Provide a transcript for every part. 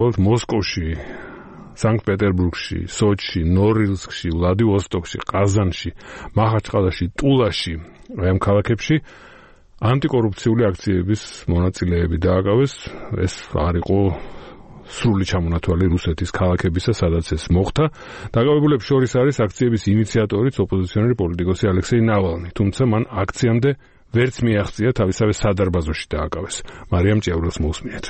მოსკოვში, სანქტ-პეტერბურგში, სოჩში, ნორილსკში, ვლადივოსტოკში, ყაზანში, მახაჩყალაში, ტულაში, ამ ქალაქებში ანტიკორუფციული აქციების მონაწილეები დააკავეს. ეს არ იყო სრული ჩამონათვალი რუსეთის ქალაქებისა, სადაც ეს მოხდა. დაკავებულებს შორის არის აქციების ინიციატორიც ოპოზიციონერი პოლიტიკოსი ალექსეი ნავალნი, თუმცა მან აქციამდე ვერც მიაღწია თავისავე სადარბაზოში დააკავეს. მარიამ ჭიაურელს მოусმინეთ.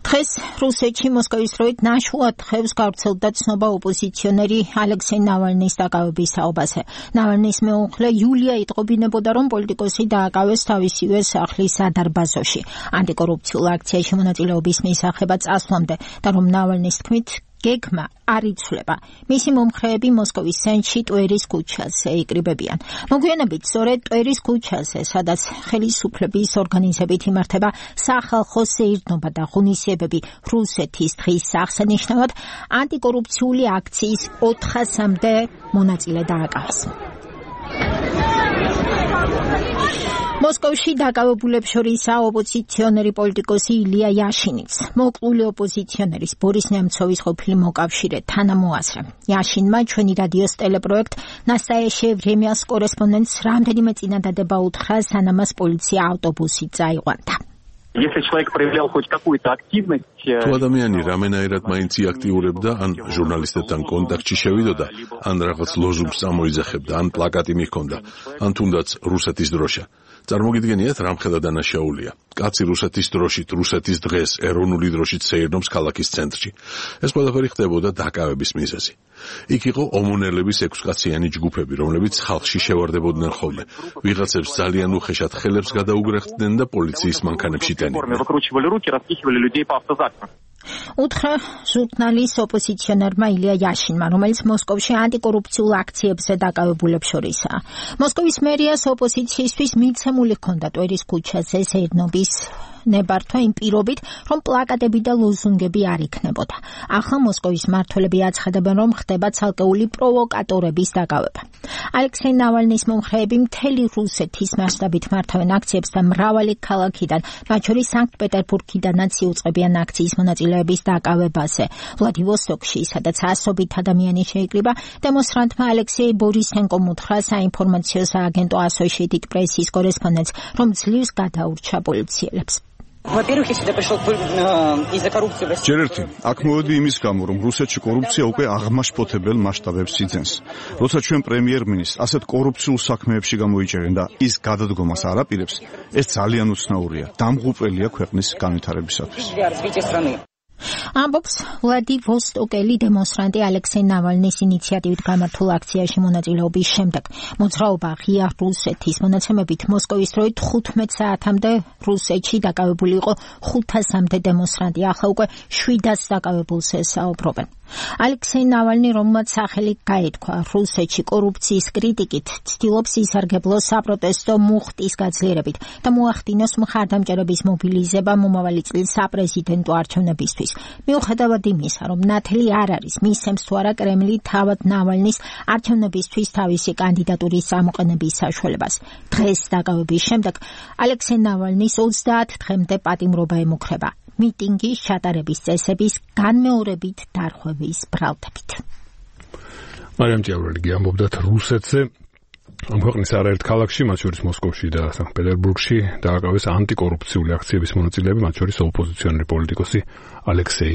დღეს რუსეთში მოსკოვის დროით ნაშუად ხევს გავრცელდა ცნობა ოპოზიციონერი ალექსეი ნავალნის დაკავების საუბარზე. ნავალნის მეუღლე იულია იტყობინებოდა, რომ პოლიტიკოსი დააკავეს თავისივე სახლის სადარბაზოში ანტიკორუფციულ აქციაში მონაწილეობის მისაღება წასვლამდე და რომ ნავალნის თქმით გეგმა არ იცვლება. მისი მომხრეები მოსკოვის ცენტრში ტვერის ქუჩაზე იკრიბებიან. მოგვიანებით სწორედ ტვერის ქუჩაზე, სადაც ხელისუფლების ორგანიზებით იმართება სახალხო სეირნობა და ღონისძიებები რუსეთის დღის აღსანიშნავად, ანტიკორუფციული აქციის 400-მდე მონაწილე დააკავეს. მოსკოვში დაკავებულებს შორისაა ოპოზიციონერი პოლიტიკოსი ილია იაშინიც. მოკლული ოპოზიციონერის ბორის ნემცოვის ყოფილი მოკავშირე თანამოაზრე. იაშინმა ჩვენი რადიოს ტელეპროექტ ნასტაიაშე ვრემიას კორესპონდენტს რამდენიმე წინადადება უთხრა, სანამ მას პოლიცია ავტობუსით წაიყვანდა. Если человек проявлял хоть какую-то активность, თუ ადამიანი რამენაირად მაინც იაქტიურებდა, ან ჟურნალისტებთან კონტაქტში შევიდოდა, ან რაღაც ლოზუნგს წამოიძახებდა, ან პლაკატი მიჰქონდა, ან თუნდაც რუსეთის დროშა. წარმოგიდგენიათ, რამხელა დანაშაულია. კაცი რუსეთის დროშით, რუსეთის დღეს, ეროვნული დროშით სეირნობს ქალაქის ცენტრში. ეს ყველაფერი ხდებოდა დაკავების მიზეზი. იქ იყო ომონელების 6-კაციანი ჯგუფები, რომლებიც ხალხში შევარდებოდნენ ხოლმე. ვიღაცებს ძალიან უხეშად ხელებს გადაუგრეხდნენ და პოლიციის მანქანებში ტენდნენ. უთხრა ჟურნალის ოპოზიციონერმა ილია იაშინმა, რომელიც მოსკოვში ანტიკორუფციულ აქციებზე დაკავებულებს შორისაა. მოსკოვის მერიას ოპოზიციისთვის მიცემული ჰქონდა ტვერის ქუჩაზე სეირნობის ნებართვა იმ პირობით, რომ პლაკატები და ლოზუნგები არ იქნებოდა. ახლა მოსკოვის მმართველები აცხადებენ, რომ ხდება ცალკეული პროვოკატორების დაკავება. ალექსეი ნავალნის მომხრეები მთელი რუსეთის მასშტაბით მართავენ აქციებს და მრავალი ქალაქიდან, მათ შორის სანქტ-პეტერბურგიდანაც იუწყებიან აქციის მონაწილეების დაკავებაზე. ვლადივოსტოკში, სადაც ასობით ადამიანი შეიკრიბა, დემონსტრანტმა ალექსეი ბორისენკომ უთხრა საინფორმაციო სააგენტო Associated Press-ის კორესპონდენტს, რომ ძლივს გადაურჩა პოლიციელებს. ჯერ ერთი, აქ მოვედი იმის გამო, რომ რუსეთში კორუფცია უკვე აღმაშფოთებელ მასშტაბებს იძენს. როცა ჩვენ პრემიერ-მინისტრს ასეთ კორუფციულ საქმეებში გამოიჭერენ და ის გადადგომას არ აპირებს, ეს ძალიან უცნაურია, დამღუპველია ქვეყნის განვითარებისათვის. ამბობს ვლადივოსტოკელი დემონსტრანტი ალექსეი ნავალნის ინიციატივით გამართულ აქციაში მონაწილეობის შემდეგ. მოძრაობა ღია რუსეთის მონაცემებით მოსკოვის დროით 15 საათამდე რუსეთში დაკავებული იყო 500-მდე დემონსტრანტი, ახლა უკვე 700 დაკავებულს ესაუბრობენ. ალექსეი ნავალნი, რომელმაც სახელი გაითქვა რუსეთში კორუფციის კრიტიკით, ცდილობს ისარგებლოს საპროტესტო მუხტის გაძლიერებით და მოახდინოს მხარდამჭერების მობილიზება მომავალი წლის საპრეზიდენტო არჩევნებისთვის. მიუხედავად იმისა, რომ ნათელი არ არის, მისცემს თუ არა კრემლი თავად ნავალნის არჩევნებისთვის თავისი კანდიდატურის გამოყენების საშუალებას. დღეს დაკავების შემდეგ ალექსეი ნავალნის 30 დღემდე პატიმრობა ემუქრება. მიტინგის ჩატარების წესების განმეორებით დარღვევის ბრალდებით. მარიამ ჭიაურელი ამბობდათ რუსეთზე. ამ ქვეყნის არაერთ ქალაქში, მათ შორის მოსკოვში და სანქტ-პეტერბურგში, დააკავეს ანტიკორუფციული აქციების მონაწილეები, მათ შორის ოპოზიციონერი პოლიტიკოსი ალექსეი